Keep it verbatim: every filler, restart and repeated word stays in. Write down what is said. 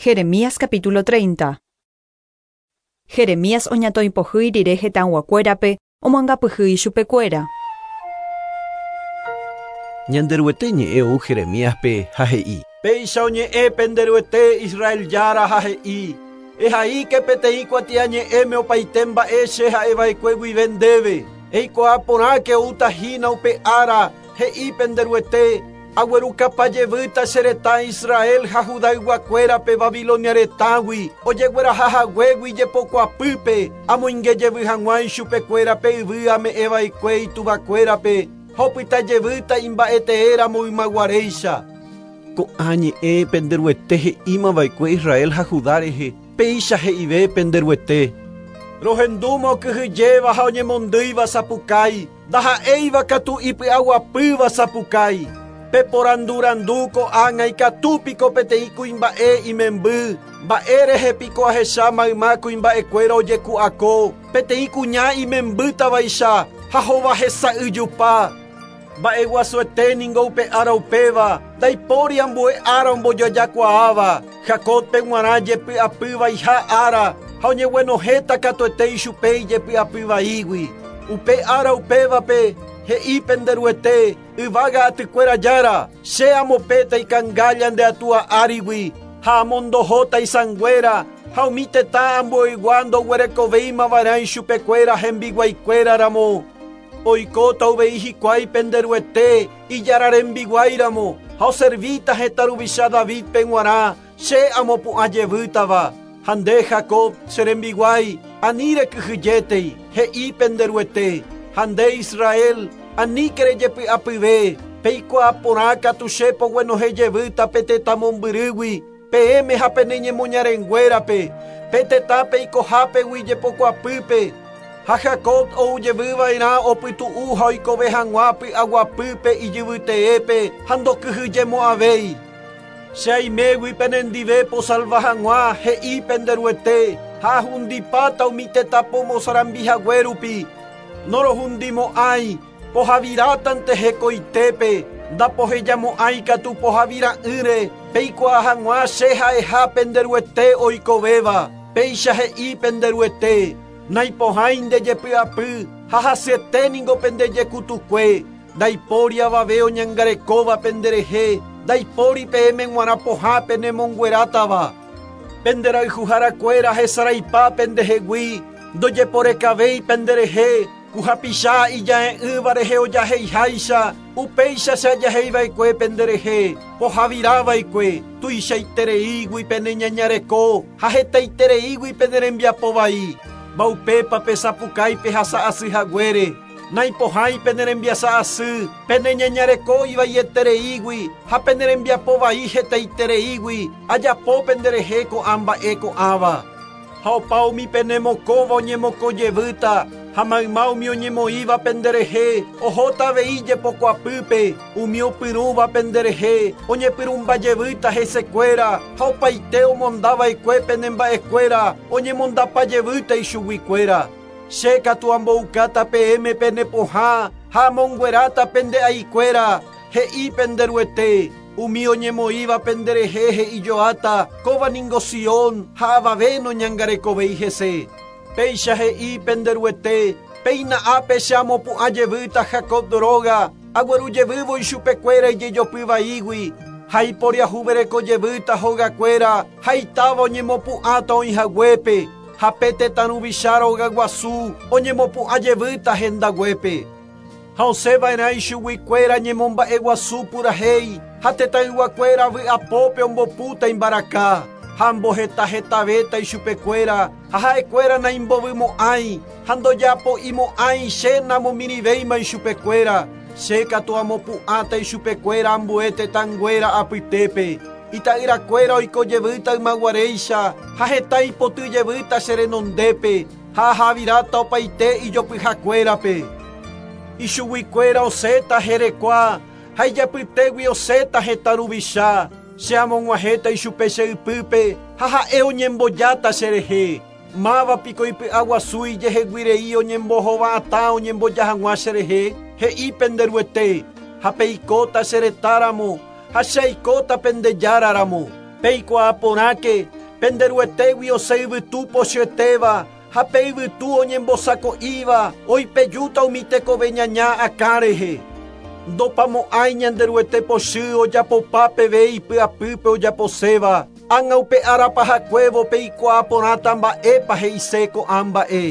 Jeremías capítulo treinta. Jeremías oñatoipohýi rire hetãyguakuérape omoangapyhy ichupekuéra. Ñanderuete ñe'ẽ ou Jeremíaspe ha he'i: Péicha oñe'ẽ penderuete Israel Jára ha he'i: Ehaíke peteĩ kuatiañe'ẽme opaite mba'e che ha'eva'ekue guive ndéve. Eikuaa porãke outahína upe ára, he'i penderuete, aguerukapajevýta che retã Israel ha Judayguakuérape Babilonia retãgui, ojeguerahahaguégui jepokuapýpe, amoingejevy hag̃ua ichupekuérape yvy ame'ẽva'ekue ituvakuérape, ha opytajevýta imba'eteéramo ymaguaréicha. Ko'ã ñe'ẽ penderuete he'ímava'ekue Israel ha Judá rehe, péicha he'ive penderuete. Rohendúma okyhyjéva ha oñemondýiva sapukái, ndaha'éiva katu ipy'aguapýva sapukái. Peporandurandu ko'ág̃a ikatúpiko peteĩ kuimba'e imemby, mba'e piko ahecha mayma kuimba'ekuéra ojeku'ako, peteĩ kuña imembýtavaicha ha hova hesa'yjupa. Mba'eguasuete ningo upe ára upéva, ndaipóri ambue ára ombojojakuaáva, Jacobpe g̃uarã jepy'apyvaiha ára, ha oñeguenohẽta katuete ichupe ijepy'apyvaígui. Upe ára upévape he'i penderuete, yvága atykuéra Jára, che amopéta ikangálla nde atúa árigui, ha amondohóta isãnguéra, ha umi tetã ambueygua ndoguerekovéimava'erã ichupekuéra hembiguaikuéraramo. Oikóta uvei hikuái penderuete ijára rembiguáiramo, ha oservíta hetã ruvicha Davidpe g̃uarã, che amopu'ãjevýtava. Ha nde Jacob che rembiguái, ani rekyhyjétei, he'i penderuete. Ha nde Israel, aníke rejepy'apyve, peikuaa porã katu che poguenohẽjevýta pe tetã mombyrýgui, peẽme ha pene ñemoñarenguérape, pe tetã peikohápegui jepokuapýpe. Ha Jacob oujevýva'erã opytu'u ha oikove hag̃ua py'aguapýpe ijyvyteépe ha ndokyhyjemo'ãvéi. Che aimégui penendive posalva hag̃ua, he'i penderuete, ha ahundipáta umi tetã pomosarambihaguérupi. Norohundimo'ãi, pohavirátante hekoitépe, ndapohejamo'ãi katu pohavira'ỹre, peikuaa hag̃ua che ha'eha penderuete oikovéva, péicha he'i penderuete. Naipohãi ndejepy'apy ha hasyete ningo pendejekutukue, ndaipóri avave oñangarekóva penderehe, ndaipóri peẽme g̃uarã pohã penemonguerátava. Penderayhuharakuéra hesaraipa pendehegui, ndojeporekavéi penderehe, kuhapicha ija'e'ỹva rehe ojaheiháicha, upéicha che ajaheiva'ekue penderehe, pohavirava'ekue, tuichaitereígui peneñañareko ha hetaitereígui penerembiapovai. Mbaupépa pesapukái pehasa'asy haguére, naipohãi penerembiasa'asy, peneñañareko ivaietereígui ha penerembiapovai hetaitereígui, ajapo penderehe ko'ã mba'e ko'ãva. Ha opa umi penemokõva oñemokõjevýta, ha mayma umi oñemoĩva penderehe, ohóta avei jepokuapýpe, umi opyrũva penderehe, oñepyrũmbajevýta hesekuéra, ha opaite omondava'ekue penemba'ekuéra, oñemondapajevýta ichuguikuéra. Che katu amboukáta peẽme penepohã ha amongueráta pende'aikuéra, he'i penderuete. Umi oñemoĩva penderehe he'ijoáta, kóva ningo Sion ha avave noñangarekovéi hese. Péicha he'i penderuete, péina ápe che amopu'ãjevýta Jacob róga, aguerujevývo ichupekuéra ijejopyvaígui, ha iporiahuverekojevýta hogakuéra, ha itáva oñemopu'ãta oĩhaguépe, ha pe tetã ruvicha rogaguasu oñemopu'ãjevýta hendaguépe. Ha osẽva'erã ichuguikuéra ñemomba'eguasu purahéi, ha tetãyguakuéra vy'apópe ombopúta imbaraka, ha ambohetahetavéta ichupekuéra, ha ha'ekuéra naimbovymo'ãi, ha ndojapo'imo'ãi che namomirĩvéima ichupekuéra, che katu amopu'ãta ichupekuéra ambue tetãnguéra apytépe. Ita'yrakuéra oikojevýta ymaguaréicha, ha heta ipotyjevýta che renondépe, ha ahaviráta opaite ijopyhakuérape. Ichuguikuéra osẽta herekua, ha ijapytégui osẽta hetã ruvicha, che amog̃uahẽta ichupe che ypýpe, ha ha'e oñembojáta cherehe. Mávapiko ipy'aguasu ijeheguirei oñembohova'atã oñemboja hag̃ua cherehe, he'i penderuete, ha peikóta che retãramo, ha che aikóta pendejáraramo. Peikuaa porãke pende Ruetégui osẽ yvytu pochyetéva ha pe yvytu oñembosako'íva oipejúta umi tekove ñaña akã rehe. Ndopamo'ãi ñande Ruete pochy ojapopa peve ipy'apýpe ojaposéva. Ág̃a upe ára pahakuévo peikuaa porãta mba'épa he'ise ko'ã mba'e.